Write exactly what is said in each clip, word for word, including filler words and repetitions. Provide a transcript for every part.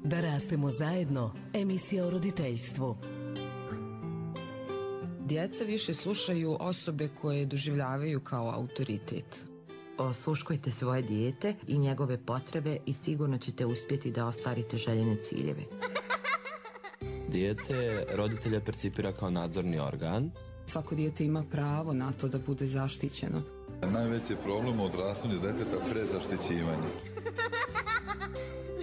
Da rastemo zajedno, emisija o roditeljstvu. Djeca više slušaju osobe koje doživljavaju kao autoritet. Osluškujte svoje dijete i njegove potrebe i sigurno ćete uspjeti da ostvarite željene ciljeve. Dijete roditelja percipira kao nadzorni organ. Svako dijete ima pravo na to da bude zaštićeno. Najveći problem u odrastanju djeteta prezaštićivanje.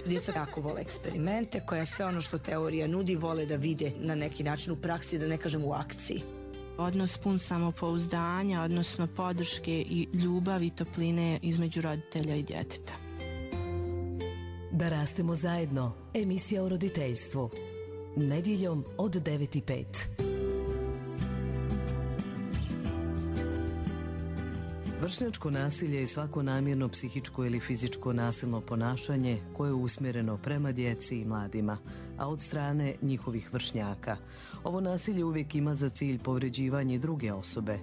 Djeca jako vole eksperimente, koja sve ono što teorija nudi vole da vide na neki način u praksi, da ne kažem u akciji. Odnos pun samopouzdanja, odnosno podrške i ljubavi i topline između roditelja i djeteta. Da rastemo zajedno, emisija o roditeljstvu. Nedjeljom od devet i pet. Vršnjačko nasilje je svako namjerno psihičko ili fizičko nasilno ponašanje koje je usmjereno prema djeci i mladima, a od strane njihovih vršnjaka. Ovo nasilje uvijek ima za cilj povređivanje druge osobe.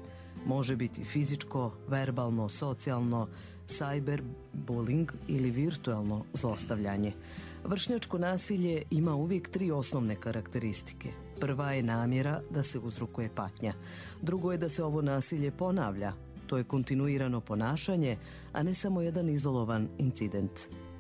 Može biti fizičko, verbalno, socijalno, cyberbullying ili virtualno zlostavljanje. Vršnjačko nasilje ima uvijek tri osnovne karakteristike. Prva je namjera da se uzrokuje patnja. Drugo je da se ovo nasilje ponavlja. To je kontinuirano ponašanje, a ne samo jedan izolovan incident.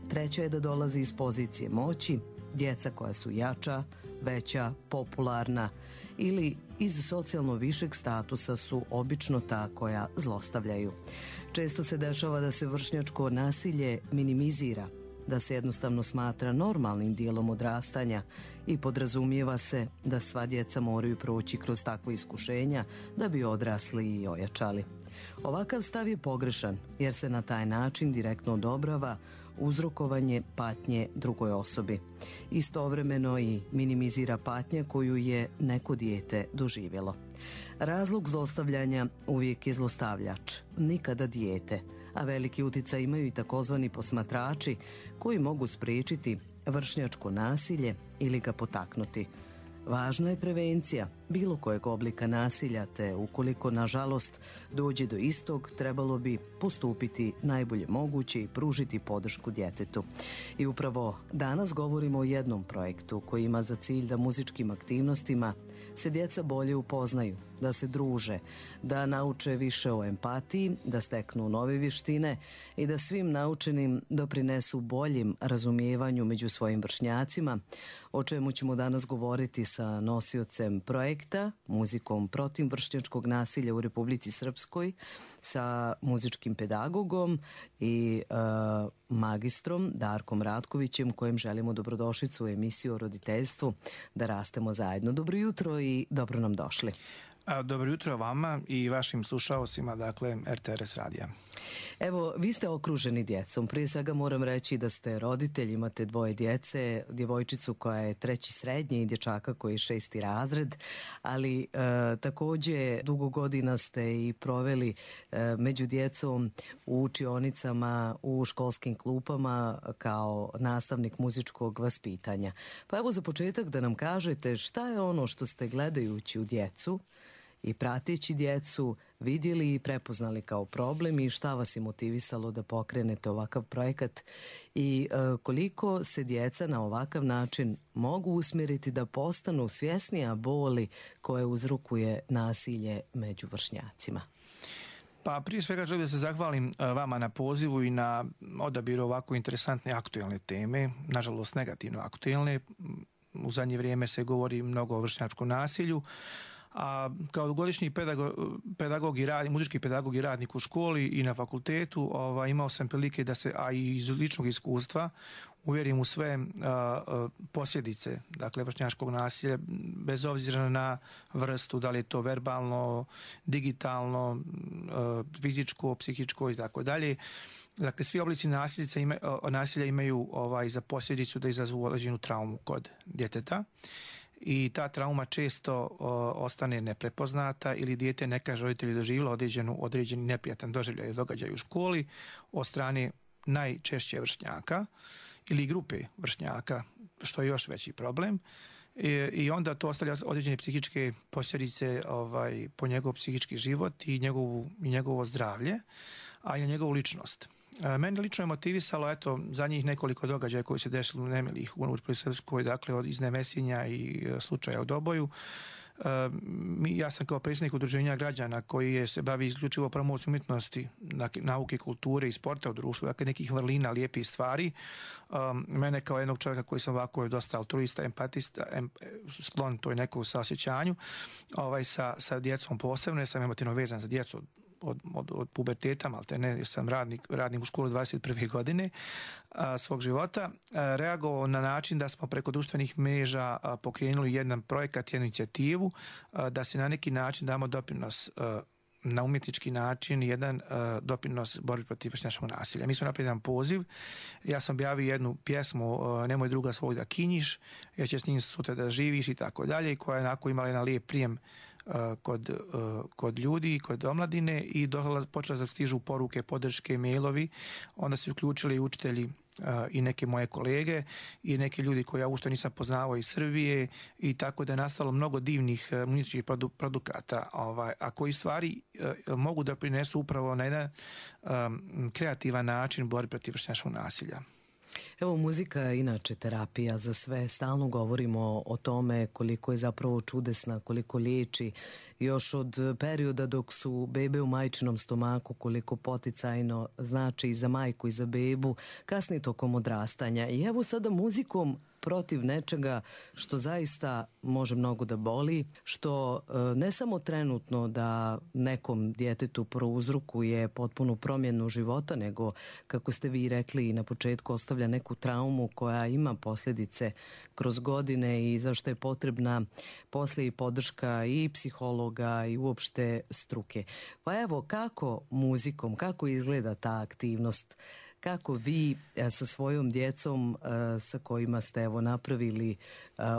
Treća je da dolazi iz pozicije moći, djeca koja su jača, veća, popularna ili iz socijalno višeg statusa su obično ta koja zlostavljaju. Često se dešava da se vršnjačko nasilje minimizira, da se jednostavno smatra normalnim dijelom odrastanja i podrazumijeva se da sva djeca moraju proći kroz takva iskušenja da bi odrasli i ojačali. Ovakav stav je pogrešan jer se na taj način direktno odobrava uzrokovanje patnje drugoj osobi. Istovremeno i minimizira patnje koju je neko dijete doživjelo. Razlog zlostavljanja uvijek je zlostavljač, nikada dijete, a veliki utjecaj imaju i takozvani posmatrači koji mogu spriječiti vršnjačko nasilje ili ga potaknuti. Važna je prevencija bilo kojeg oblika nasilja, te ukoliko nažalost dođe do istog, trebalo bi postupiti najbolje moguće i pružiti podršku djetetu. I upravo danas govorimo o jednom projektu koji ima za cilj da muzičkim aktivnostima se djeca bolje upoznaju, da se druže, da nauče više o empatiji, da steknu nove vještine i da svim naučenim doprinesu boljim razumijevanju među svojim vršnjacima, o čemu ćemo danas govoriti sa nosiocem projekta, muzikom protiv vršnjačkog nasilja u Republici Srpskoj, sa muzičkim pedagogom i e, magistrom Darkom Ratkovićem, kojem želimo dobrodošlicu u emisiju o roditeljstvu Da rastemo zajedno. Dobro jutro i dobro nam došli. Dobro jutro vama i vašim slušalcima, dakle, R T R S radija. Evo, vi ste okruženi djecom. Prije svega moram reći da ste roditelj, imate dvoje djece, djevojčicu koja je treći srednji i dječaka koji je šesti razred, ali e, također dugo godina ste i proveli e, među djecom u učionicama, u školskim klupama kao nastavnik muzičkog vaspitanja. Pa evo za početak da nam kažete šta je ono što ste gledajući u djecu i prateći djecu vidjeli i prepoznali kao problem i šta vas je motivisalo da pokrenete ovakav projekat i e, koliko se djeca na ovakav način mogu usmjeriti da postanu svjesnija boli koje uzrokuje nasilje među vršnjacima. Pa prije svega želim da se zahvalim vama na pozivu i na odabiru ovako interesantne aktualne teme, nažalost negativno aktualne. U zadnje vrijeme se govori mnogo o vršnjačkom nasilju, a kao godišnji pedagog, pedagog i rad, muzički pedagog i radnik u školi i na fakultetu ova, imao sam prilike da se, a i iz ličnog iskustva, uvjerim u sve a, a, posljedice, dakle, vršnjačkog nasilja, bez obzira na vrstu, da li je to verbalno, digitalno, a, fizičko, psihičko i tako dalje. Dakle, svi oblici nasilja, ima, nasilja imaju ovaj, za posljedicu da izazvu određenu traumu kod djeteta. I ta trauma često o, ostane neprepoznata ili dijete ne kaže roditelju doživjelo određenu, određeni neprijatan doživljaj događaj u školi od strane najčešće vršnjaka ili grupe vršnjaka, što je još veći problem. I, i onda to ostavlja određene psihičke posljedice ovaj, po njegov psihički život i, njegovu, i njegovo zdravlje, a i na njegovu ličnost. Mene lično je motivisalo, eto, za njih nekoliko događaja koji se desili u nemilih u Republici Srpskoj, dakle, od iznemesinja i slučaja u Doboju. Ja sam kao predsjednik udruženja građana koji je se bavi isključivo promocijom umjetnosti, nauke, kulture i sporta u društvu, dakle nekih vrlina, lijepih stvari. Mene kao jednog čovjeka koji sam ovako dosta altruista, empatista, em, sklon toj nekog saosjećanju, ovaj, sa, sa djecom posebno, jer sam emotivno vezan za djecu od, od, od puberteta, ali te ne, jer sam radnik, radnik u školi dvadeset prve godine a, svog života, a, reagovao na način da smo preko društvenih mreža a, pokrenuli jedan projekat, jednu inicijativu, a, da se na neki način damo doprinos a, na umjetnički način, jedan uh, doprinos borbi protiv vršnjačkog nasilja. Mi smo napravili jedan poziv, ja sam objavio jednu pjesmu uh, Nemoj druga svog da kinjiš, jer će s njim sutra da živiš i tako dalje, koja je onako imala jedan lijep prijem uh, kod, uh, kod ljudi, kod omladine i došla, počela da stižu poruke, podrške, mailovi, onda su uključili i učitelji i neke moje kolege i neki ljudi koje ja ušto nisam poznavao iz Srbije i tako da je nastalo mnogo divnih umjetničkih produkata, ovaj, a koji stvari mogu da prinesu upravo na jedan um, kreativan način borbi protiv vršnjačkog nasilja. Evo, muzika je inače terapija za sve. Stalno govorimo o tome koliko je zapravo čudesna, koliko liječi. Još od perioda dok su bebe u majčinom stomaku, koliko poticajno znači i za majku i za bebu, kasnije tokom odrastanja. I evo sada muzikom protiv nečega što zaista može mnogo da boli, što ne samo trenutno da nekom djetetu prouzrokuje potpunu promjenu života, nego, kako ste vi rekli na početku, ostavlja neku traumu koja ima posljedice kroz godine i zašto je potrebna poslije i podrška i psihologa i uopšte struke. Pa evo, kako muzikom, kako izgleda ta aktivnost? Kako vi sa svojom djecom sa kojima ste evo napravili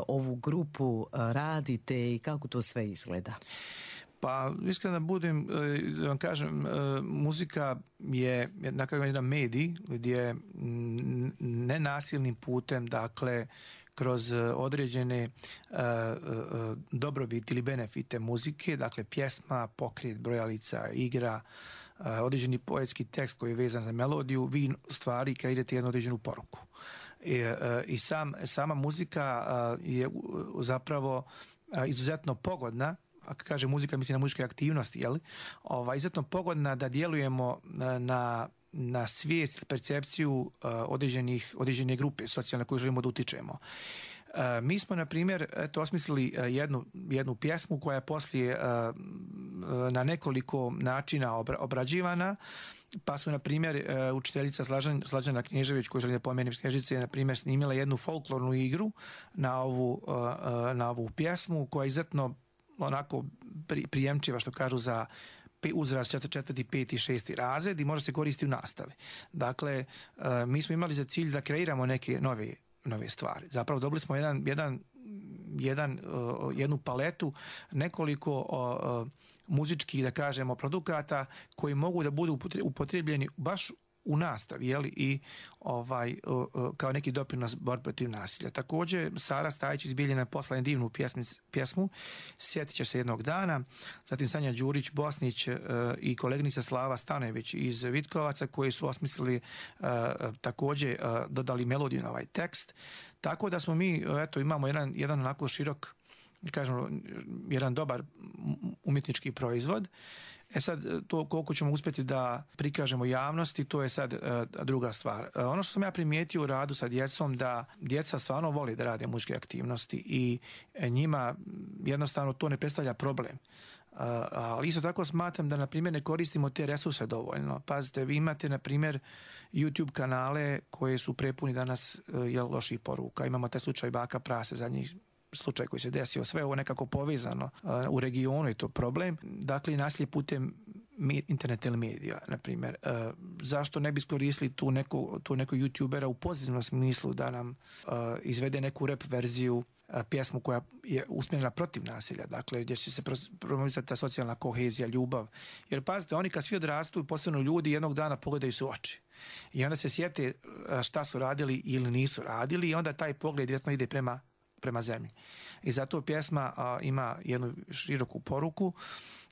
ovu grupu radite i kako to sve izgleda? Pa, iskreno da budem, da vam kažem, muzika je nekakav jedan medij gdje nenasilnim putem, dakle, kroz određene uh, uh, dobrobiti ili benefite muzike, dakle pjesma, pokret, brojalica, igra, uh, određeni poetski tekst koji je vezan za melodiju, vi stvari kreirate jednu određenu poruku. I, uh, i sam, sama muzika uh, je uh, zapravo uh, izuzetno pogodna, ako kaže muzika, mislim na muzičke aktivnosti, jel? Ova, izuzetno pogodna da djelujemo na na svijest, percepciju uh, određenih, određene grupe socijalne koje želimo da utičemo. Uh, mi smo, na primjer, eto, osmislili uh, jednu, jednu pjesmu koja je poslije uh, na nekoliko načina obra, obrađivana, pa su, na primjer, uh, učiteljica Slažan, Slađana Knježević, koja želi da pomenem s Knježice, na primjer, snimila jednu folklornu igru na ovu, uh, uh, na ovu pjesmu, koja je izuzetno onako pri, prijemčiva, što kažu, za uzrast četvrti, peti, šesti razred i može se koristiti u nastavi. Dakle, mi smo imali za cilj da kreiramo neke nove, nove stvari. Zapravo dobili smo jedan, jedan, jedan, jednu paletu nekoliko muzičkih, da kažemo, produkata koji mogu da budu upotrebljeni baš u nastavi, jeli, i ovaj, kao neki doprinos borbe protiv nasilja. Također, Sara Stajić iz Bijeljine poslala divnu pjesmu, pjesmu Sjetit će se jednog dana, zatim Sanja Đurić, Bosnić i koleginica Slava Stanojević iz Vitkovaca, koji su osmislili također dodali melodiju na ovaj tekst. Tako da smo mi, eto, imamo jedan, jedan onako širok, kažemo, jedan dobar umjetnički proizvod. E sad, to koliko ćemo uspjeti da prikažemo javnosti, to je sad uh, druga stvar. Uh, ono što sam ja primijetio u radu sa djecom, da djeca stvarno vole da rade muzičke aktivnosti i njima jednostavno to ne predstavlja problem. Uh, ali isto tako smatram da, na primjer, ne koristimo te resurse dovoljno. Pazite, vi imate, na primjer, YouTube kanale koje su prepuni danas uh, jel, loših poruka. Imamo taj slučaj Baka Prase, zadnjih slučaj koji se desio, sve ovo nekako povezano uh, u regionu je to problem. Dakle, nasilje putem internet ili medija, na primjer. Uh, zašto ne bi iskoristili tu neku, tu neku youtubera u pozitivnom smislu da nam uh, izvede neku rap verziju, uh, pjesmu koja je usmjerena protiv nasilja, dakle, gdje će se promovisati ta socijalna kohezija, ljubav. Jer pazite, oni kad svi odrastu, posebno ljudi, jednog dana pogledaju se u oči. I onda se sjete šta su radili ili nisu radili i onda taj pogled direktno ide prema prema zemlji. I zato pjesma a, ima jednu široku poruku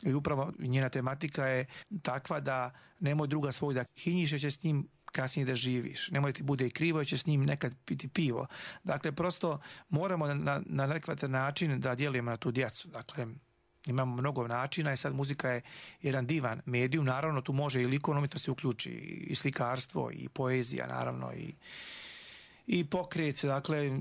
i upravo njena tematika je takva da nemoj druga svoj da hinjiše će s njim kasnije da živiš. Nemoj ti bude krivo, će s njim nekad piti pivo. Dakle, prosto moramo na, na adekvatan način da djelujemo na tu djecu. Dakle, imamo mnogo načina i sad muzika je jedan divan medijum. Naravno, tu može i likovna umjetnost se uključi, i slikarstvo, i poezija, naravno, i i pokret, dakle,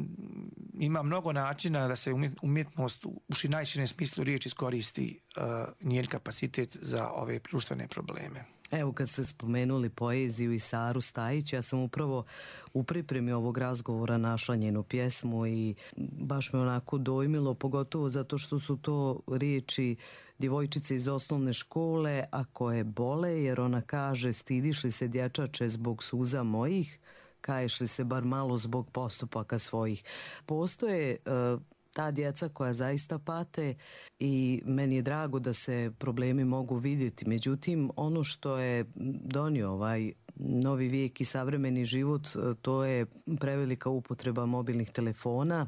ima mnogo načina da se umjetnost u najširem smislu riječi iskoristi uh, njen kapacitet za ove društvene probleme. Evo, kad ste spomenuli poeziju i Saru Stajić, ja sam upravo u pripremi ovog razgovora našla njenu pjesmu i baš me onako dojmilo, pogotovo zato što su to riječi djevojčice iz osnovne škole, a koje bole, jer ona kaže: stidiš li se dječače zbog suza mojih, kaješ li se bar malo zbog postupaka svojih. Postoje uh, ta djeca koja zaista pate i meni je drago da se problemi mogu vidjeti. Međutim, ono što je donio ovaj novi vijek i savremeni život, to je prevelika upotreba mobilnih telefona,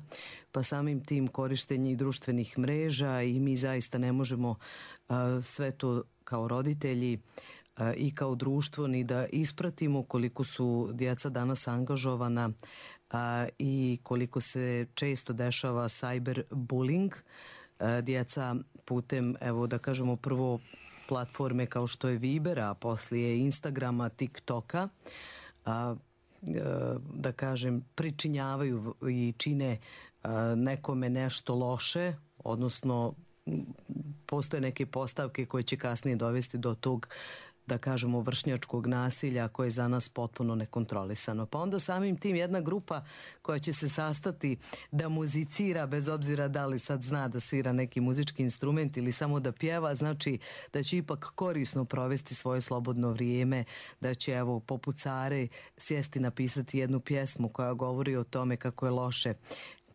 pa samim tim korištenje i društvenih mreža, i mi zaista ne možemo uh, sve to kao roditelji i kao društvo ni da ispratimo koliko su djeca danas angažovana a, i koliko se često dešava cyberbullying. A, djeca putem, evo da kažemo, prvo platforme kao što je Viber, a poslije Instagrama, TikToka, a, a, da kažem, pričinjavaju i čine a, nekome nešto loše, odnosno postoje neke postavke koje će kasnije dovesti do tog, da kažemo, vršnjačkog nasilja koje je za nas potpuno nekontrolisano. Pa onda samim tim jedna grupa koja će se sastati da muzicira, bez obzira da li sad zna da svira neki muzički instrument ili samo da pjeva, znači da će ipak korisno provesti svoje slobodno vrijeme, da će, evo, poput Care sjesti napisati jednu pjesmu koja govori o tome kako je loše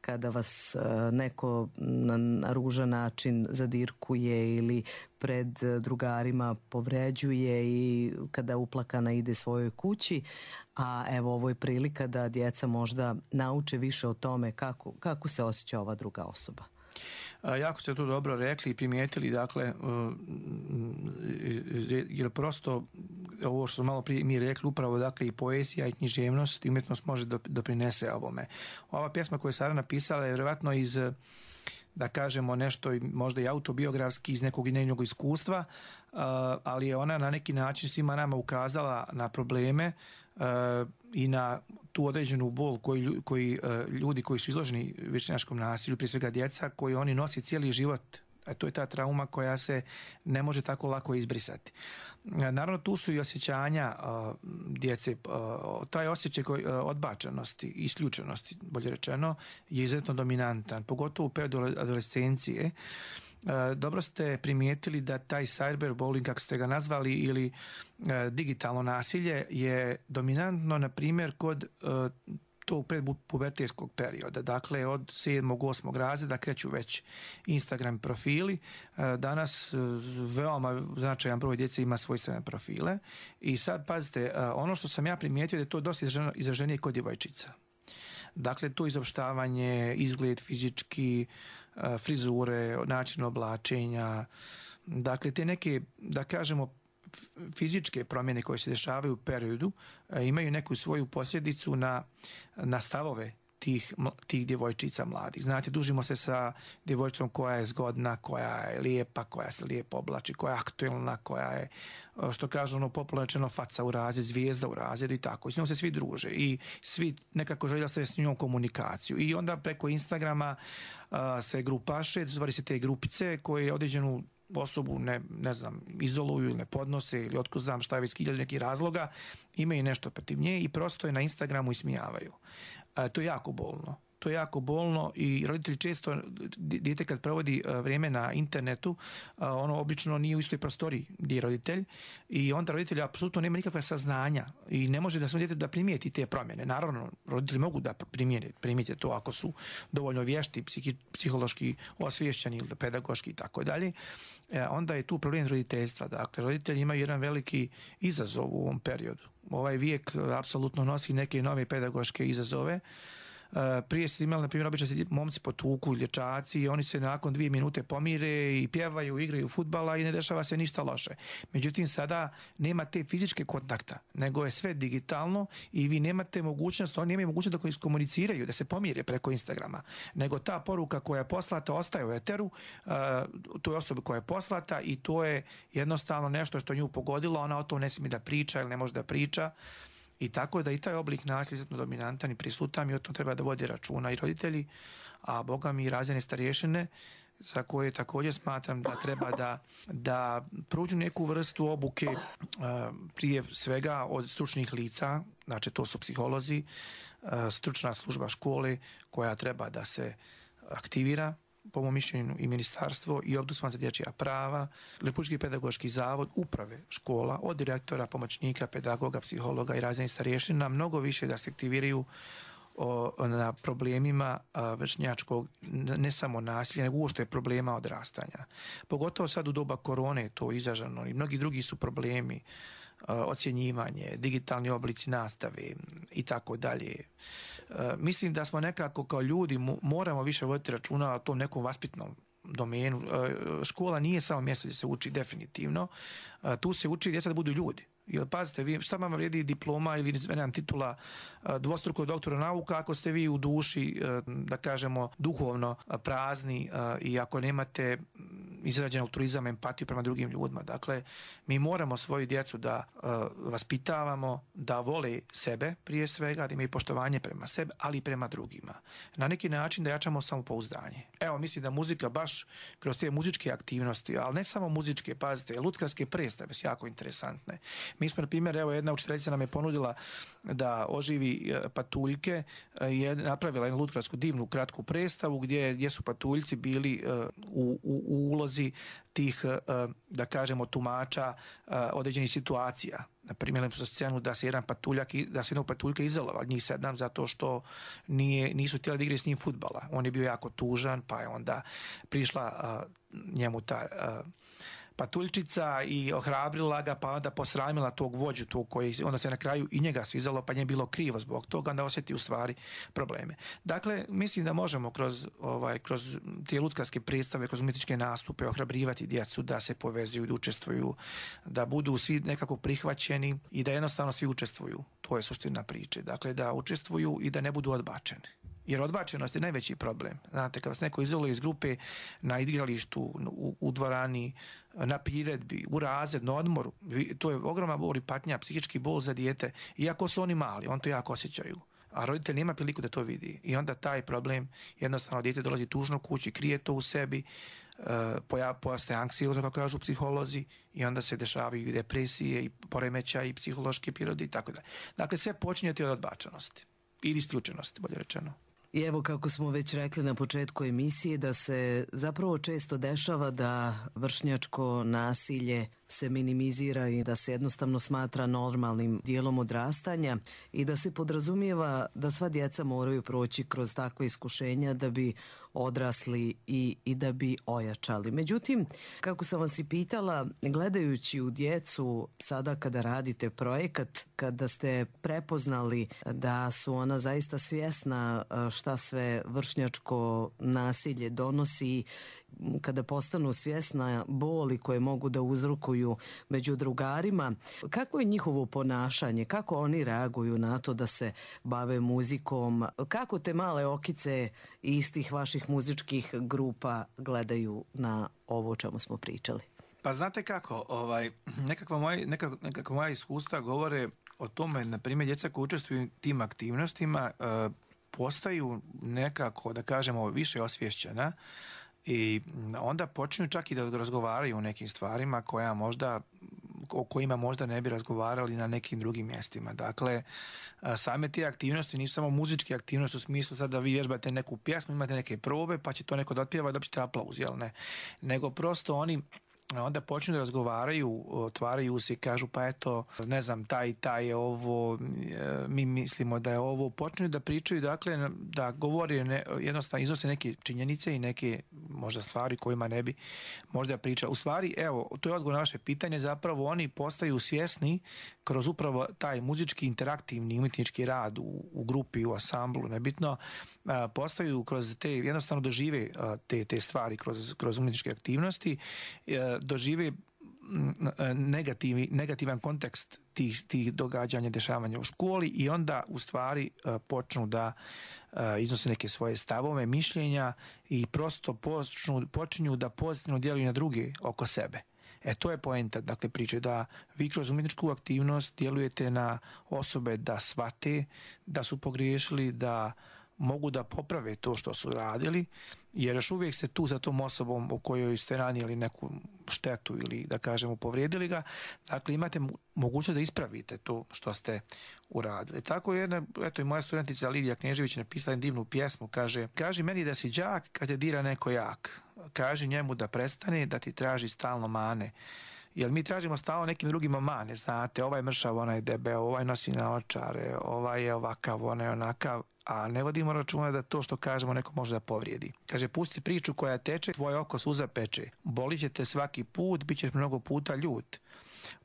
kada vas neko na ružan način zadirkuje ili pred drugarima povređuje i kada uplakana ide svojoj kući. A evo, ovo je prilika da djeca možda nauče više o tome kako, kako se osjeća ova druga osoba. Jako ste to dobro rekli i primijetili, dakle, jer prosto ovo što smo malo prije mi rekli, upravo, dakle, i poezija i književnost i umjetnost može doprinese ovome. Ova pjesma koju je Sara napisala je vjerojatno iz, da kažemo, nešto možda i autobiografski iz nekog njenog iskustva, ali je ona na neki način svima nama ukazala na probleme i na tu određenu bol koji, koji ljudi koji su izloženi vršnjačkom nasilju, prije svega djeca, koji oni nose cijeli život. A to je ta trauma koja se ne može tako lako izbrisati. Naravno, tu su i osjećanja uh, djece. Uh, taj osjećaj koji, uh, odbačenosti, isključenosti, bolje rečeno, je izuzetno dominantan, pogotovo u periodu adolescencije. Uh, dobro ste primijetili da taj cyberbullying, kako ste ga nazvali, ili uh, digitalno nasilje je dominantno, na primjer, kod uh, tog predpubertetskog perioda. Dakle, od sedmog, osmog razreda kreću već Instagram profili. Danas veoma značajan broj djece ima svojstvene profile. I sad, pazite, ono što sam ja primijetio da je to dosta izraženije kod djevojčica. Dakle, to izopštavanje, izgled fizički, frizure, način oblačenja. Dakle, te neke, da kažemo, fizičke promjene koje se dešavaju u periodu imaju neku svoju posljedicu na, na stavove tih, tih djevojčica mladih. Znate, družimo se sa djevojčicom koja je zgodna, koja je lijepa, koja se lijepo oblači, koja je aktuelna, koja je, što kažu ono popularno rečeno, faca u razred, zvijezda u razredu i tako. I s njom se svi druže i svi nekako žele staviti s njom komunikaciju. I onda preko Instagrama a, se grupaše, stvari se te grupice koje određenu osobu ne, ne znam, izoluju ili ne podnose ili otko znam šta je već hiljadu nekih razloga, imaju nešto protiv nje i prosto je na Instagramu ismijavaju. E, to je jako bolno. To je jako bolno i roditelji često, dijete kad provodi vrijeme na internetu, ono obično nije u istoj prostoriji gdje je roditelj i onda roditelj apsolutno nema nikakva saznanja i ne može da svom djetetu da primijeti te promjene. Naravno, roditelji mogu da primijete, primijete to ako su dovoljno vješti, psihi, psihološki osviješćeni ili pedagoški i tako dalje. Onda je tu problem roditeljstva. Dakle, roditelji imaju jedan veliki izazov u ovom periodu. Ovaj vijek apsolutno nosi neke nove pedagoške izazove. Prije se imali, na primjer, obično se momci potuku, dječaci i oni se nakon dvije minute pomire i pjevaju, igraju fudbala i ne dešava se ništa loše. Međutim, sada nema te fizičke kontakta, nego je sve digitalno i vi nemate mogućnost, oni nemaju mogućnost da koji iskomuniciraju, da se pomire preko Instagrama, nego ta poruka koja je poslata ostaje u eteru, uh, to je osoba koja je poslata i to je jednostavno nešto što nju pogodilo, ona o tom ne smije da priča ili ne može da priča. I tako da i taj oblik nasilja je dominantan i prisutan i o tom treba da vodi računa i roditelji, a boga mi i razredne starješine, za koje također smatram da treba da, da pruđu neku vrstu obuke prije svega od stručnih lica, znači to su psiholozi, stručna služba škole koja treba da se aktivira, po mom mišljenju i ministarstvo i Ombudsman za dječja prava, Republički pedagoški zavod, uprave škola, od direktora, pomoćnika, pedagoga, psihologa i razrednih starješina, mnogo više da se aktiviraju o, na problemima a, vršnjačkog, ne samo nasilja, nego uopšte problema odrastanja. Pogotovo sad u doba korone je to izraženo i mnogi drugi su problemi, a, ocjenjivanje, digitalni oblici nastave i tako dalje. Mislim da smo nekako kao ljudi moramo više voditi računa o tom nekom vaspitnom domenu. Škola nije samo mjesto gdje se uči definitivno. Tu se uči djeca da budu ljudi. Jer pazite, vi, šta vam vrijedi diploma ili nemam titula dvostruko doktora nauka ako ste vi u duši, da kažemo, duhovno prazni i ako nemate izrađen altruizam, empatiju prema drugim ljudima. Dakle, mi moramo svoju djecu da vaspitavamo, da vole sebe prije svega, da imaju poštovanje prema sebi, ali i prema drugima. Na neki način da jačamo samopouzdanje. Evo, mislim da muzika baš kroz te muzičke aktivnosti, ali ne samo muzičke, pazite, lutkarske predstave su jako interesantne. Mi smo, na primjer, evo jedna učiteljica nam je ponudila da oživi patuljke, je napravila jednu lutkarsku divnu kratku predstavu gdje, gdje su patuljci bili u, u, u ulozi tih, da kažemo, tumača određenih situacija. Na primjer, su scenu da se jedan patuljak, da se jednog patuljka izolovao, njih sedam, zato što nije, nisu htjeli da igraju s njim fudbala. On je bio jako tužan, pa je onda prišla njemu ta patuljčica i ohrabrila ga, pa onda posramila tog vođu, tog koji onda se na kraju i njega su izalo, pa nje bilo krivo zbog toga, onda osjeti u stvari probleme. Dakle, mislim da možemo kroz, ovaj, kroz te lutkarske predstave, kroz umjetničke nastupe ohrabrivati djecu da se povezuju, da učestvuju, da budu svi nekako prihvaćeni i da jednostavno svi učestvuju. To je suština priče. Dakle, da učestvuju i da ne budu odbačeni. Jer odbačenost je najveći problem. Znate, kad vas neko izoluje iz grupe na igralištu, u, u dvorani, na priredbi, u razred, na odmoru, to je ogromna bol i patnja, psihički bol za dijete. Iako su oni mali, on to jako osjećaju. A roditelj nema priliku da to vidi. I onda taj problem, jednostavno dijete dolazi tužno kući, krije to u sebi, pojaste anksiozno, kako kažu psiholozi, i onda se dešavaju i depresije, i poremećaji, i psihološke prirode i tako dalje. Dakle, sve počinjeti od odbačenosti ili isključenosti, bolje rečeno. I evo, kako smo već rekli na početku emisije, da se zapravo često dešava da vršnjačko nasilje se minimizira i da se jednostavno smatra normalnim dijelom odrastanja i da se podrazumijeva da sva djeca moraju proći kroz takve iskušenja da bi odrasli i, i da bi ojačali. Međutim, kako sam vas i pitala, gledajući u djecu sada kada radite projekat, kada ste prepoznali da su ona zaista svjesna šta sve vršnjačko nasilje donosi, kada postanu svjesna boli koje mogu da uzrokuju među drugarima, kako je njihovo ponašanje, kako oni reaguju na to da se bave muzikom, kako te male okice istih vaših muzičkih grupa gledaju na ovo o čemu smo pričali? Pa znate kako, ovaj, nekakva moja, nekakva, nekakva moja iskustva govore o tome, na primjer, djeca koji učestvuju u tim aktivnostima e, postaju nekako, da kažemo, više osvješćena i onda počinju čak i da razgovaraju o nekim stvarima koja možda, o kojima možda ne bi razgovarali na nekim drugim mjestima. Dakle, same te aktivnosti nisu samo muzičke aktivnosti u smislu sad da vi vježbate neku pjesmu, imate neke probe pa će to neko da otpjeva i dobijete aplauz, jel ne? Nego prosto oni onda počnu da razgovaraju, otvaraju se i kažu pa eto, ne znam, taj i taj je ovo, mi mislimo da je ovo, počnu da pričaju, dakle, da govore, ne, jednostavno iznose neke činjenice i neke možda stvari kojima ne bi možda priča. U stvari, evo, to je odgovor na vaše pitanje, zapravo oni postaju svjesni kroz upravo taj muzički interaktivni umjetnički rad u, u grupi, u ansamblu, nebitno, postaju kroz te, jednostavno dožive te, te stvari kroz, kroz umjetničke aktivnosti, dožive negativi, negativan kontekst tih, tih događanja, dešavanja u školi i onda u stvari počnu da iznose neke svoje stavove, mišljenja i prosto počnu, počinju da pozitivno djeluju na druge oko sebe. E, to je poenta, dakle, priče da vi kroz umjetničku aktivnost djelujete na osobe da shvate da su pogriješili, da mogu da poprave to što su radili, jer još uvijek ste tu sa tom osobom u kojoj ste ranili neku štetu ili, da kažemo, povrijedili ga. Dakle, imate mogućnost da ispravite to što ste uradili. Tako je jedna, eto i moja studentica Lidija Knežević napisala divnu pjesmu, kaže, kaži meni da si đak kad te dira neko jak. Kaži njemu da prestane da ti traži stalno mane. Jer mi tražimo stalno nekim drugima mane, znate, ovaj mršav, onaj debeo, ovaj nosi naočare, ovaj je ovakav, onaj onakav, a ne vodimo računa da to što kažemo neko može da povrijedi. Kaže, pusti priču koja teče, tvoje oko suza peče. Bolit će te svaki put, bit ćeš mnogo puta ljut.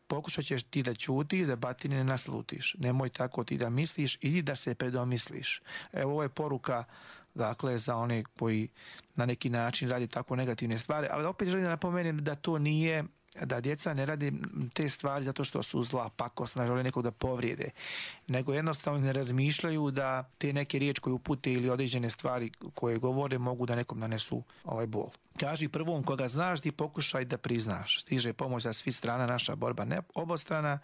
Pokušat ćeš ti da ćutiš, da batine ne naslutiš. Nemoj tako ti da misliš, idi da se predomisliš. Evo, ovo je poruka, dakle, za one koji na neki način radi tako negativne stvari, ali opet želim da napomenem da to nije, da djeca ne radi te stvari zato što su zla, pakosna, žele nekog da povrijede, nego jednostavno ne razmišljaju da te neke riječi koje upute ili određene stvari koje govore mogu da nekom nanesu ovaj bol. Kaži prvom koga znaš, ti pokušaj da priznaš. Stiže pomoć sa svih strana, naša borba ne obostrana,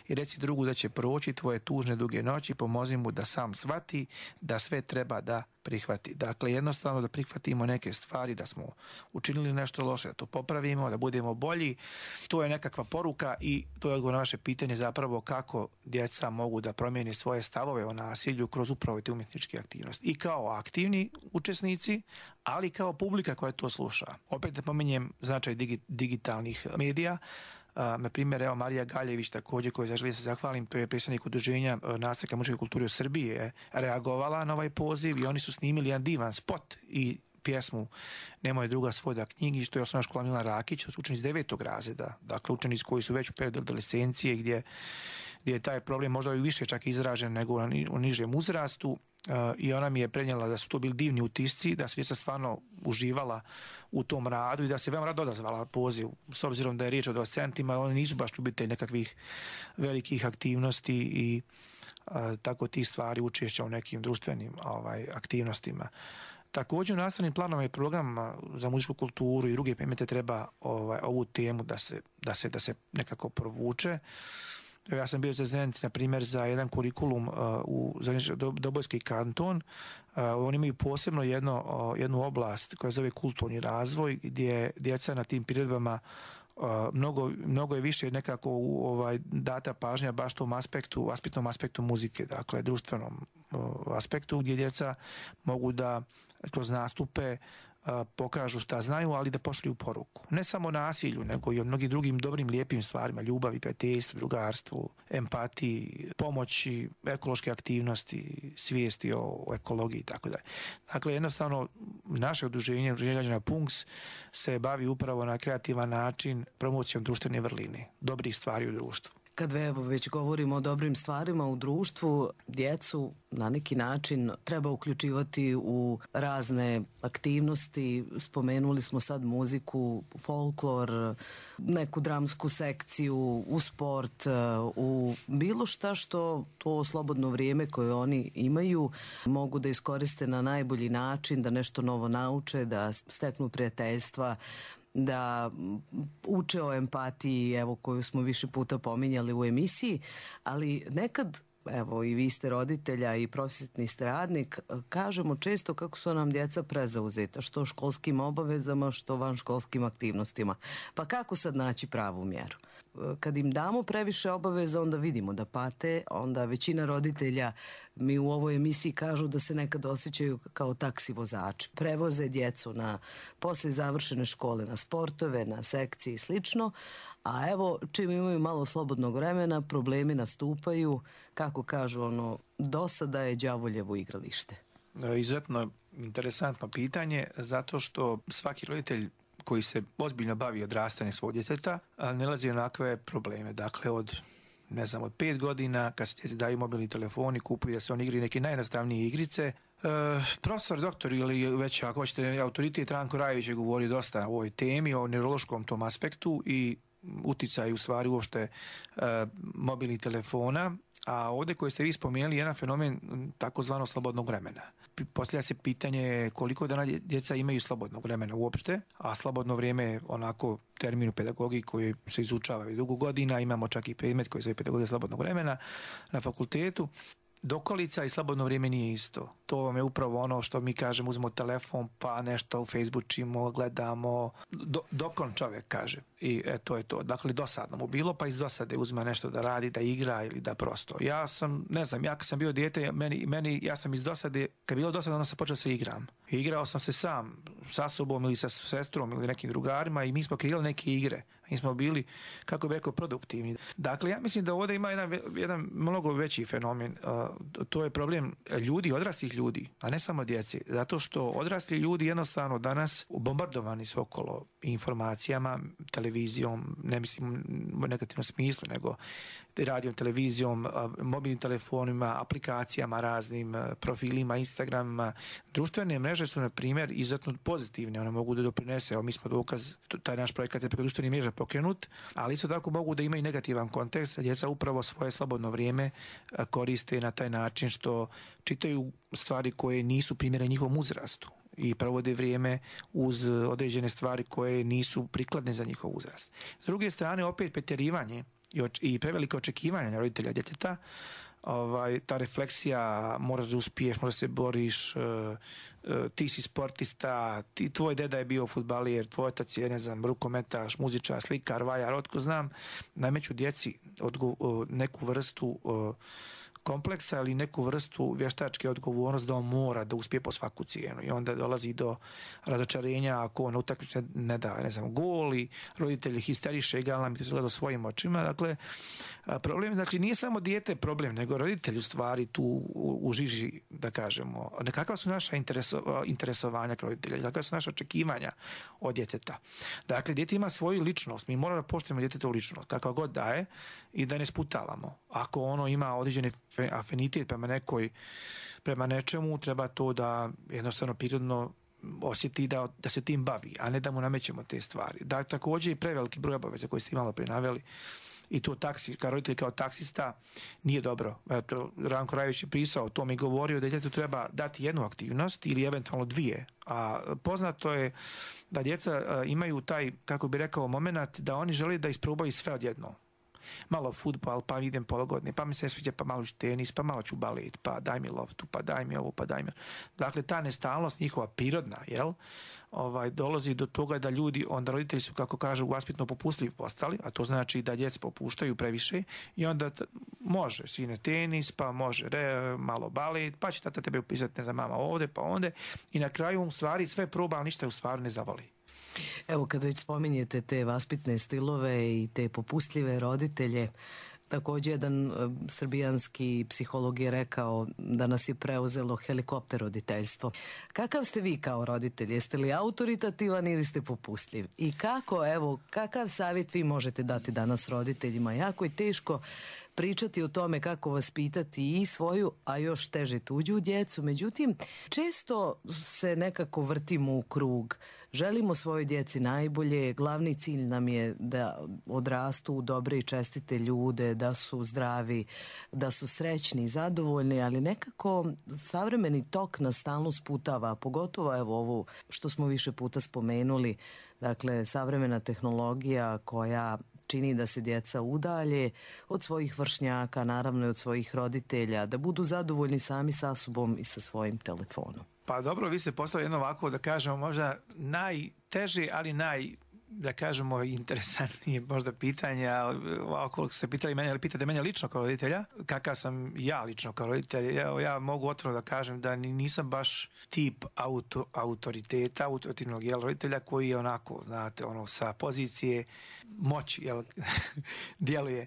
i reci drugu da će proći tvoje tužne duge noći, pomozi mu da sam shvati da sve treba da prihvati. Dakle, jednostavno da prihvatimo neke stvari, da smo učinili nešto loše, da to popravimo, da budemo bolji. To je nekakva poruka i to je odgovor na vaše pitanje zapravo kako djeca mogu da promijeni svoje stavove o nasilju kroz upravo te umjetničke aktivnosti. I kao aktivni učesnici, ali kao publika koja to sluša. Opet napominjem značaj digi, digitalnih medija. Uh, na primjer, evo Marija Galjević također, koju zaželim se zahvalim, to je predstavnik udruženja uh, nastavnika muzičke kulture u Srbiji, je reagovala na ovaj poziv i oni su snimili jedan divan spot i pjesmu Nemoj druga svoj da knjigi, što je osnovna škola Milan Rakić, učenici devetog razreda, dakle učenici koji su već u periodu adolescencije, gdje, gdje je taj problem možda i više čak izražen nego u nižem uzrastu. Uh, i ona mi je prenijela da su to bili divni utisci, da su djeca stvarno uživala u tom radu i da se veoma rado odazvala poziv, s obzirom da je riječ o adolescentima, oni nisu baš ljubitelji nekakvih velikih aktivnosti i uh, tako tih stvari, učešća u nekim društvenim ovaj, aktivnostima. Također u nastavnim planovima i programama za muzičku kulturu i druge predmete treba ovaj, ovu temu da se, da se, da se nekako provuče. Ja sam bio za Zenici, na primjer, za jedan kurikulum uh, u Dobojski kanton. Uh, oni imaju posebno jedno, uh, jednu oblast koja zove kulturni razvoj, gdje djeca na tim priredbama uh, mnogo, mnogo je više nekako u, ovaj, data pažnja baš tom aspektu, aspektnom aspektu muzike, dakle društvenom uh, aspektu, gdje djeca mogu da kroz nastupe pokažu šta znaju, ali da pošalju poruku. Ne samo nasilju, nego i o mnogim drugim dobrim, lijepim stvarima, ljubavi, prijateljstvu, drugarstvu, empatiji, pomoći, ekološke aktivnosti, svijesti o ekologiji i tako dalje. Dakle, jednostavno, naše udruženje, udruženje građana Punks, se bavi upravo na kreativan način promocijom društvene vrline, dobrih stvari u društvu. Kad evo već govorimo o dobrim stvarima u društvu, djecu na neki način treba uključivati u razne aktivnosti. Spomenuli smo sad muziku, folklor, neku dramsku sekciju, u sport, u bilo šta što to slobodno vrijeme koje oni imaju mogu da iskoriste na najbolji način, da nešto novo nauče, da steknu prijateljstva, da uče o empatiji, evo, koju smo više puta pominjali u emisiji, ali nekad, evo, i vi ste roditelja i profesionalni ste radnik, kažemo često kako su nam djeca prezauzeta, što školskim obavezama, što vanškolskim aktivnostima. Pa kako sad naći pravu mjeru? kad im damo previše obaveza, onda vidimo da pate, onda većina roditelja mi u ovoj emisiji kažu da se nekad osjećaju kao taksi vozači. Prevoze djecu na posle završene škole, na sportove, na sekcije i slično, a evo čim imaju malo slobodnog vremena, problemi nastupaju, kako kažu ono, dosada je đavoljevo igralište. Izuzetno interesantno pitanje, zato što svaki roditelj koji se ozbiljno bavi odrastanjem svog djeteta nalazi onakve probleme. Dakle, od ne znam, od pet godina, kad se djeci daju mobilni telefoni, kupuju da se on igri neke najjednostavnije igrice. E, profesor, doktor ili već ako hoćete autoritet Ranko Rajević je govorio dosta o ovoj temi, o neurološkom tom aspektu i uticaju u stvari uopšte e, mobilnih telefona, a ovdje koji ste vi spomenuli jedan fenomen takozvano slobodnog vremena. Postavlja se pitanje koliko dana djeca imaju slobodnog vremena uopšte, a slobodno vrijeme je onako termin u pedagogiji koji se izučava dugo godina, imamo čak i predmet koji se zove pedagogija slobodnog vremena na fakultetu. Dokolica i slobodno vrijeme nije isto. To vam je upravo ono što mi kažemo, uzmemo telefon pa nešto u Facebookimo, gledamo, do, dokon čovjek kaže. I e, to je to. Dakle, dosadno mu bilo, pa iz dosade uzma nešto da radi, da igra ili da prosto. Ja sam, ne znam, ja kad sam bio dijete, meni, meni, ja sam iz dosade, kad je bilo dosadno, onda sam počeo se igram. I igrao sam se sam, sa sobom ili sa sestrom ili nekim drugarima i mi smo kreirali neke igre. Mi smo bili, kako bi rekao, produktivni. Dakle, ja mislim da ovdje ima jedan, jedan mnogo veći fenomen. To je problem ljudi, odraslih ljudi, a ne samo djeci. Zato što odrasli ljudi jednostavno danas bombardovani su okolo informacijama, televizijom, ne mislim u negativnom smislu, nego radijom, televizijom, mobilnim telefonima, aplikacijama raznim, profilima, Instagramima. Društvene mreže su, na primjer, izuzetno pozitivne. One mogu da doprinese. Evo, mi smo dokaz, taj naš projekat je preko društvenih mreža pokrenut, ali isto tako mogu da imaju negativan kontekst. Djeca upravo svoje slobodno vrijeme koriste na taj način što čitaju stvari koje nisu primjerene njihovom uzrastu i provode vrijeme uz određene stvari koje nisu prikladne za njihov uzrast. S druge strane, opet pretjerivanje i prevelike očekivanja roditelja djeteta, ovaj, ta refleksija, moraš da uspiješ, možda se boriš, uh, uh, ti si sportista, ti, tvoj deda je bio fudbaler, tvoj otac je, ne znam, rukometaš, muzičar, slikar, vajar, otko znam, nameću djeci odgo, uh, neku vrstu uh, kompleksa ili neku vrstu vještačke odgovornosti da on mora da uspije po svaku cijenu i onda dolazi do razočarenja ako on utakmice ne da, ne znam, gol i roditelji histeriše, egalno mi to gleda svojim očima. Dakle, problem, dakle, nije samo dijete problem, nego roditelji u stvari tu u, u žiži, da kažemo, kakva su naša intereso, interesovanja kao roditelja, kakva su naša očekivanja od djeteta. Dakle, dijete ima svoju ličnost, mi moramo da poštujemo djetetovu ličnost, kakva god daje i da ne sputavamo. Ako ono ima određene afinitet prema nekoj, prema nečemu, treba to da jednostavno prirodno osjeti da, da se tim bavi, a ne da mu namećemo te stvari. Da, također i preveliki broj obaveza koji ste malo prije naveli i to taksi, kao roditelj, kao taksista nije dobro. Eto, Ranko Rajević je pisao, to mi govorio da djetetu treba dati jednu aktivnost ili eventualno dvije. A poznato je da djeca imaju taj, kako bi rekao, moment da oni žele da isprobaju sve odjedno. Malo fudbal, pa idem pologodne, pa mi se sviđa, pa malo ću tenis, pa malo ću balet, pa daj mi loptu, pa daj mi ovo, pa daj mi. Dakle, ta nestalnost njihova prirodna, jel, ovaj, dolazi do toga da ljudi, onda roditelji su, kako kažu, vaspitno popustljivi postali, a to znači da djeca popuštaju previše i onda t- može, sine tenis, pa može re, malo balet, pa će tata tebe upisati, ne znam, mama ovde, pa onde i na kraju u stvari sve proba, ali ništa u stvari ne zavoli. Evo, kad već spominjete te vaspitne stilove i te popustljive roditelje, također jedan srbijanski psiholog je rekao da nas je preuzelo helikopter roditeljstvo. Kakav ste vi kao roditelj? Jeste li autoritativan ili ste popustljiv? I kako, evo, kakav savjet vi možete dati danas roditeljima? Jako je teško pričati o tome kako vaspitati i svoju, a još teže tuđu djecu. Međutim, često se nekako vrtimo u krug. Želimo svojoj djeci najbolje, glavni cilj nam je da odrastu u dobre i čestite ljude, da su zdravi, da su srećni i zadovoljni, ali nekako savremeni tok nas stalno sputava, pogotovo evo ovu što smo više puta spomenuli, dakle savremena tehnologija koja čini da se djeca udalje od svojih vršnjaka, naravno i od svojih roditelja, da budu zadovoljni sami sa sobom i sa svojim telefonom. Pa dobro, vi ste poslali jedno ovako, da kažemo, možda najteže, ali naj da kažemo, interesantnije možda pitanja, ako se pitali mene, ali pitate mene lično kao roditelja, kakav sam ja lično kao roditelj, ja, ja mogu otvoreno da kažem da nisam baš tip auto, autoriteta, autoritativnog jel, roditelja koji je onako, znate, ono, sa pozicije moći, jel, djeluje.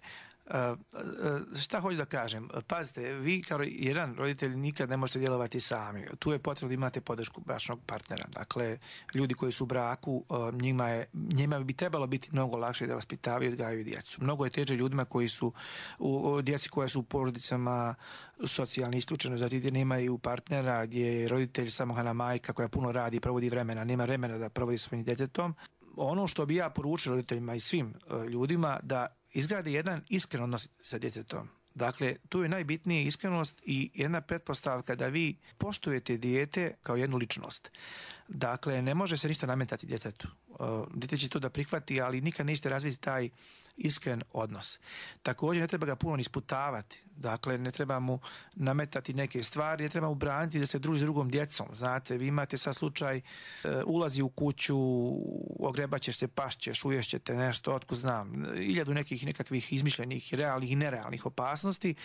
Uh, uh, šta hoću da kažem? Pazite, vi kao jedan roditelj nikad ne možete djelovati sami. Tu je potrebno da imate podršku bračnog partnera. Dakle, ljudi koji su u braku, uh, njima, je, njima bi trebalo biti mnogo lakše da vaspitavaju i odgajaju djecu. Mnogo je teže ljudima koji su u, u djeci koje su u porodicama socijalni isključeno, zato gdje nemaju partnera, gdje je roditelj samohrana majka koja puno radi i provodi vremena, nema vremena da provodi svojim djetetom. Ono što bi ja poručio roditeljima i svim uh, ljudima, da izgradi jedan iskren odnos sa djetetom. Dakle, tu je najbitnije iskrenost i jedna pretpostavka da vi poštujete dijete kao jednu ličnost. Dakle, ne može se ništa nametati djetetu. Dijete će to da prihvati, ali nikad nećete razviti taj iskren odnos. Također ne treba ga puno isputavati. Dakle, ne treba mu nametati neke stvari, ne treba mu braniti da se druži s drugom djecom. Znate, vi imate sad slučaj, e, ulazi u kuću, ogrebaćeš se, pašćeš, uješćete nešto, otkud znam, iljadu nekih nekakvih izmišljenih, realnih i nerealnih opasnosti.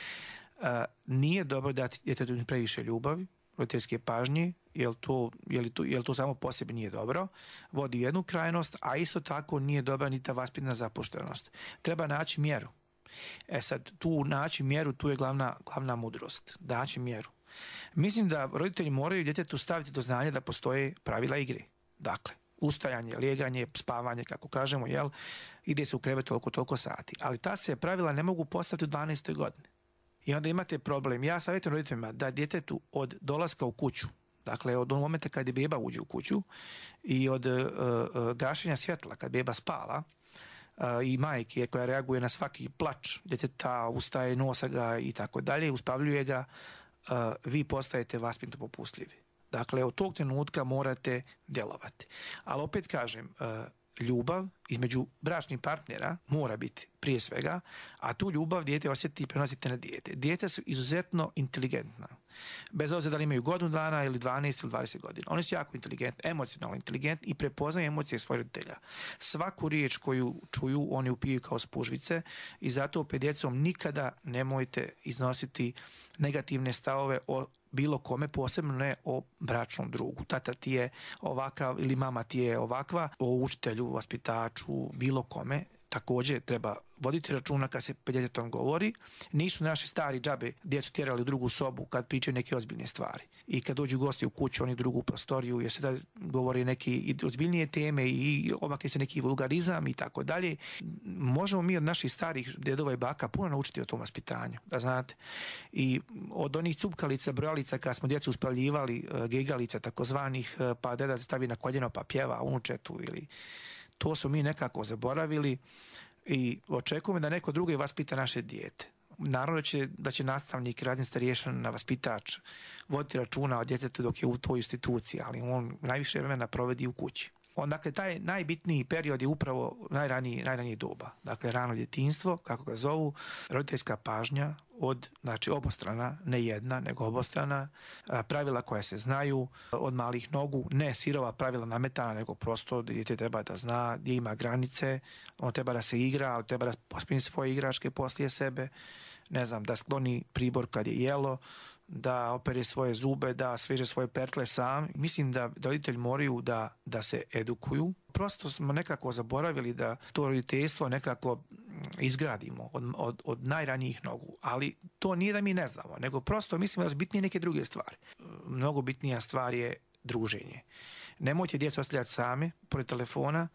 E, nije dobro dati djetetu previše ljubavi, roditeljske pažnje, jel to, jel to, jel to samo po sebi nije dobro, vodi jednu krajnost, a isto tako nije dobra ni ta vaspitna zapuštenost. Treba naći mjeru. E sad, tu naći mjeru, tu je glavna, glavna mudrost. Naći mjeru. Mislim da roditelji moraju djetetu staviti do znanja da postoje pravila igre. Dakle, ustajanje, lijeganje, spavanje, kako kažemo, jel, ide se u krevet toliko, toliko sati. Ali ta se pravila ne mogu postaviti u dvanaestoj godini. I onda imate problem. Ja savjetujem roditeljima da djetetu od dolaska u kuću, dakle od onog momenta kad je beba uđe u kuću i od uh, uh, gašenja svjetla kad beba spava, uh, i majke koja reaguje na svaki plač djeteta, ustaje, nosa ga i tako dalje, uspavljuje ga, uh, vi postajete vaspitno popustljivi. Dakle, od tog trenutka morate djelovati. Ali opet kažem, uh, ljubav između bračnih partnera mora biti prije svega, a tu ljubav dijete osjeti i prenosite na dijete. Djeca su izuzetno inteligentna. Bez obzira da li imaju godinu dana ili dvanaest ili dvadeset godina. Oni su jako inteligentni, emocionalno inteligentni i prepoznaju emocije svojih roditelja. Svaku riječ koju čuju, oni upiju kao spužvice i zato pred djecom nikada nemojte iznositi negativne stavove o bilo kome, posebno ne o bračnom drugu. Tata ti je ovakav ili mama ti je ovakva, o učitelju, vaspitaču, bilo kome. Također treba voditi računa kad se pred djetetom govori. Nisu naši stari džabe djecu tjerali u drugu sobu kad pričaju neke ozbiljne stvari. I kad dođu gosti u kuću, oni u drugu prostoriju, jer se da govori neke ozbiljnije teme i omakne se neki vulgarizam i tako dalje. Možemo mi od naših starih djedova i baka puno naučiti o tom vaspitanju, da znate. I od onih cupkalica, brojalica kad smo djecu uspaljivali, gegalica takozvanih, pa deda stavi na koljeno pa pjeva unučetu ili... To su mi nekako zaboravili i očekujemo da neko drugi vaspita naše dijete. Naravno da će, da će nastavnik, razne starješan na vaspitač voditi računa o djetetu dok je u toj instituciji, ali on najviše vremena provedi u kući. On, dakle, taj najbitniji period je upravo najraniji, najranije doba. Dakle, rano djetinjstvo, kako ga zovu, roditeljska pažnja od, znači, obostrana, ne jedna, nego obostrana, pravila koja se znaju od malih nogu, ne sirova pravila nametana, nego prosto dijete treba da zna gdje ima granice, on treba da se igra, ali treba da pospini svoje igračke poslije sebe, ne znam, da skloni pribor kad je jelo, da opere svoje zube, da sveže svoje pertle sam. Mislim da roditelji moraju da, da se edukuju. Prosto smo nekako zaboravili da to roditeljstvo nekako izgradimo od, od, od najranijih nogu. Ali to nije da mi ne znamo, nego prosto mislim da su bitnije neke druge stvari. Mnogo bitnija stvar je druženje. Nemojte djecu ostavljati same pored telefona,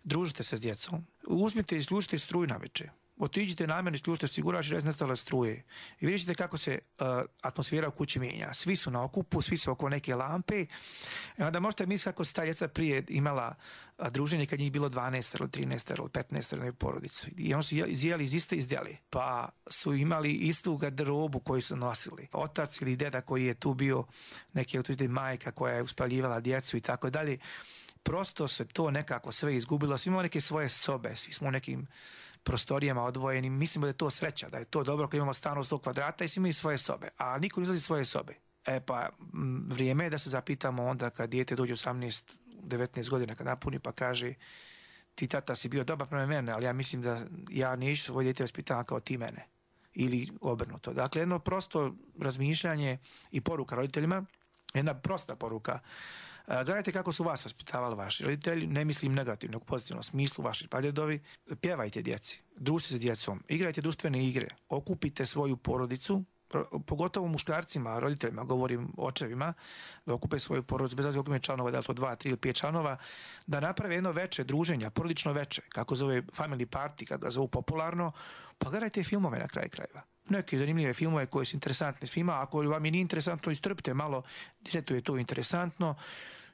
družite se s djecom. Uzmite i isključite struju na večer. Otiđite namjerno, isključite osigurač i nestale struje. I vidite kako se uh, atmosfera u kući mijenja. Svi su na okupu, svi su oko neke lampe. I onda možete misliti kako se ta djeca prije imala uh, druženje kad njih bilo dvanaest ili trinaest ili petnaest ili porodicu. I oni su izjeli iz iste izdjeli. Pa su imali istu garderobu koju su nosili. Otac ili deda koji je tu bio, neki autoritet majka koja je uspaljivala djecu i tako dalje. Prosto se to nekako sve izgubilo. Svi imamo neke svoje sobe, svi smo u nekim prostorijama odvojeni. Mislimo da je to sreća, da je to dobro kad imamo stan od sto kvadrata i svi imaju svoje sobe, a niko ne izlazi svoje sobe. E pa vrijeme je da se zapitamo onda kad dijete dođe osamnaest devetnaest godina kad napuni pa kaže ti tata si bio dobar prema mene, ali ja mislim da ja neću svoje dijete vaspitavam kao ti mene. Ili obrnuto. Dakle, jedno prosto razmišljanje i poruka roditeljima, jedna prosta poruka. Gledajte kako su vas vaspitavali vaši roditelji, ne mislim negativno, u pozitivnom smislu, vaši pradjedovi. Pjevajte djeci, družite se djecom, igrajte društvene igre, okupite svoju porodicu, pogotovo muškarcima, roditeljima, govorim očevima, da okupe svoju porodicu, bez obzira koliko ima članova, da li to dva, tri ili pet članova, da naprave jedno veče druženja, porodično veče, kako zove family party, kako ga zovu popularno, pa gledajte filmove na kraju krajeva. Neke zanimljive filmove koje su interesantne svima, ako vam je nije interesantno, istrpite malo, djetetu je to interesantno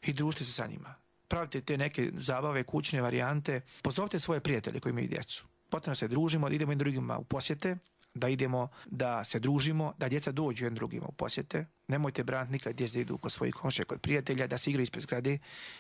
i družite se sa njima. Pravite te neke zabave, kućne varijante, pozovite svoje prijatelje koji imaju djecu. Potrebno se družimo, da idemo i drugima u posjete, da idemo, da se družimo, da djeca dođu jednim drugima u posjete. Nemojte braniti nikad djeca idu kod svojih komšija, kod prijatelja, da se igraju ispred zgrade.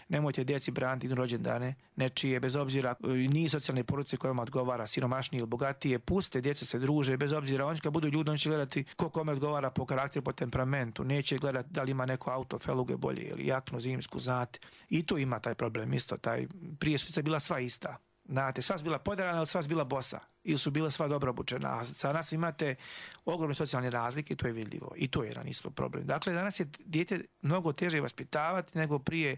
Nemojte djeci braniti idu rođendane, nečije, bez obzira, nije socijalne porodice koja vam odgovara, siromašnije ili bogatije. Puste, djeca se druže, bez obzira, oni kad budu ljudi, oni će gledati ko kome odgovara po karakteru, po temperamentu. Neće gledati da li ima neko auto, feluge bolje ili jaknu zimsku, znate. I tu ima taj problem isto. Taj, prije su bila sva ista. Znate, sva su bila podarana, ali sva su bila bosa. Ili su bila sva dobro obučena. A sa nas imate ogromne socijalne razlike i to je vidljivo. I to je jedan isto problem. Dakle, danas je dijete mnogo teže vaspitavati nego prije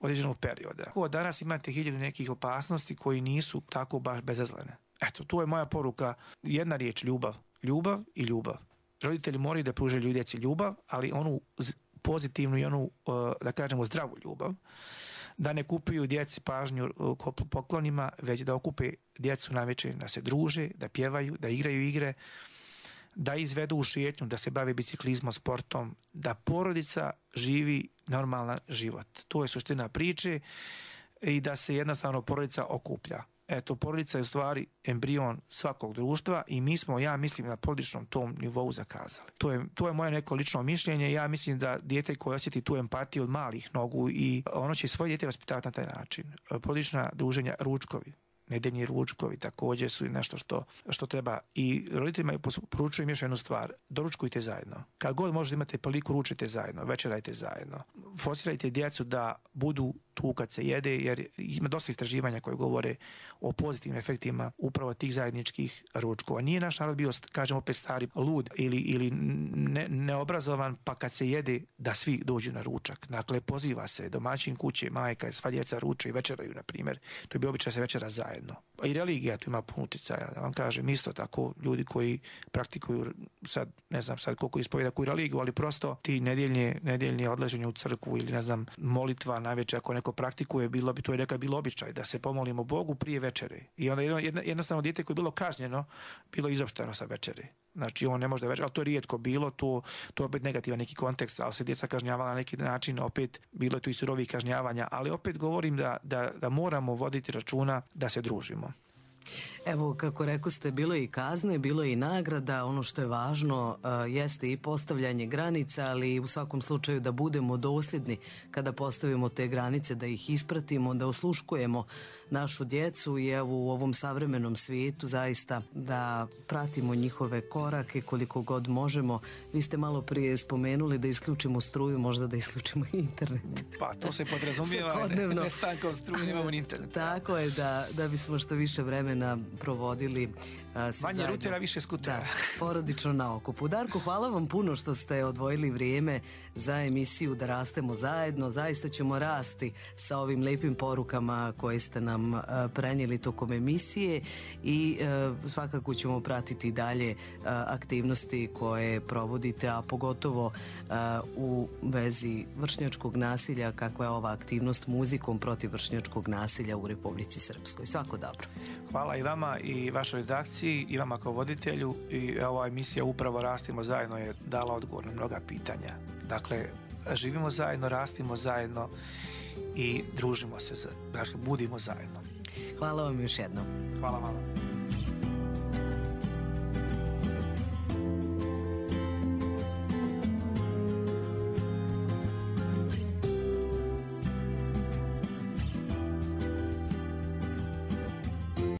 određenog perioda. Tako, danas imate hiljadu nekih opasnosti koji nisu tako baš bezazlene. Eto, tu je moja poruka. Jedna riječ, ljubav. Ljubav i ljubav. Roditelji moraju da pruže djeci ljubav, ali onu pozitivnu i onu, da kažemo, zdravu ljubav. Da ne kupuju djeci pažnju poklonima, već da okupe djecu na večer, da se druže, da pjevaju, da igraju igre, da izvedu u šetnju, da se bave biciklizmom, sportom, da porodica živi normalan život. To je suština priče i da se jednostavno porodica okuplja. Eto, porodica je u stvari embrion svakog društva i mi smo, ja mislim, na porodičnom tom nivou zakazali. To je, to je moje neko lično mišljenje. Ja mislim da dijete koje osjeti tu empatiju od malih nogu i ono će svoje dijete vaspitavati na taj način. Porodična druženja, ručkovi, nedeljni ručkovi također su nešto što, što treba. I roditeljima poručujem još jednu stvar. Doručkujte zajedno. Kad god možete imate priliku, ručite zajedno, večerajte zajedno. Forsirajte djecu da budu tu kad se jede, jer ima dosta istraživanja koje govore o pozitivnim efektima upravo tih zajedničkih ručkova. Nije naš narod bio, kažemo opet stari, lud ili, ili ne, neobrazovan, pa kad se jede da svi dođu na ručak. Dakle, poziva se domaćin kuće, majka, sva djeca ruče i večeraju, na primjer. To je bio običaj se večera zajedno. I religija tu ima puno uticaja. Da vam kažem, isto tako, ljudi koji praktikuju, sad ne znam sad koliko ispovjeda koju religiju, ali prosto ti nedjeljne, nedjeljne odlaženje u crkvu ili ne znam, molitva najveća ako neko praktikuje, bilo bi to je neka bilo običaj da se pomolimo Bogu prije večere. I onda jedno, jednostavno dijete koje je bilo kažnjeno, bilo izopšteno sa večere. Znači on ne može da večer, ali to je rijetko bilo, to, to je opet negativan neki kontekst, ali se djeca kažnjavala na neki način, opet bilo je tu i surovih kažnjavanja, ali opet govorim da, da, da moramo voditi računa da se družimo. Evo, kako rekao ste, bilo je i kazne, bilo je i nagrada. Ono što je važno uh, jeste i postavljanje granica, ali u svakom slučaju da budemo dosljedni kada postavimo te granice, da ih ispratimo, da osluškujemo našu djecu i evo u ovom savremenom svijetu zaista da pratimo njihove korake koliko god možemo. Vi ste malo prije spomenuli da isključimo struju, možda da isključimo internet. Pa to se podrazumijeva, ne, ne stankom struje, nemamo internet. Tako je, da, da bismo što više vremena provodili uh, manje rutera, više skutera. Da, porodično na okupu. Darko, hvala vam puno što ste odvojili vrijeme za emisiju Da rastemo zajedno. Zaista ćemo rasti sa ovim lijepim porukama koje ste nam uh, prenijeli tokom emisije i uh, svakako ćemo pratiti dalje uh, aktivnosti koje provodite, a pogotovo uh, u vezi vršnjačkog nasilja, kakva je ova aktivnost muzikom protiv vršnjačkog nasilja u Republici Srpskoj. Svako dobro. Hvala i vama i vašoj redakciji i vama kao voditelju i ova emisija upravo Rastimo zajedno je dala odgovor na mnoga pitanja. Dakle, živimo zajedno, rastimo zajedno i družimo se, dakle, budimo zajedno. Hvala vam još jednom. Hvala vama.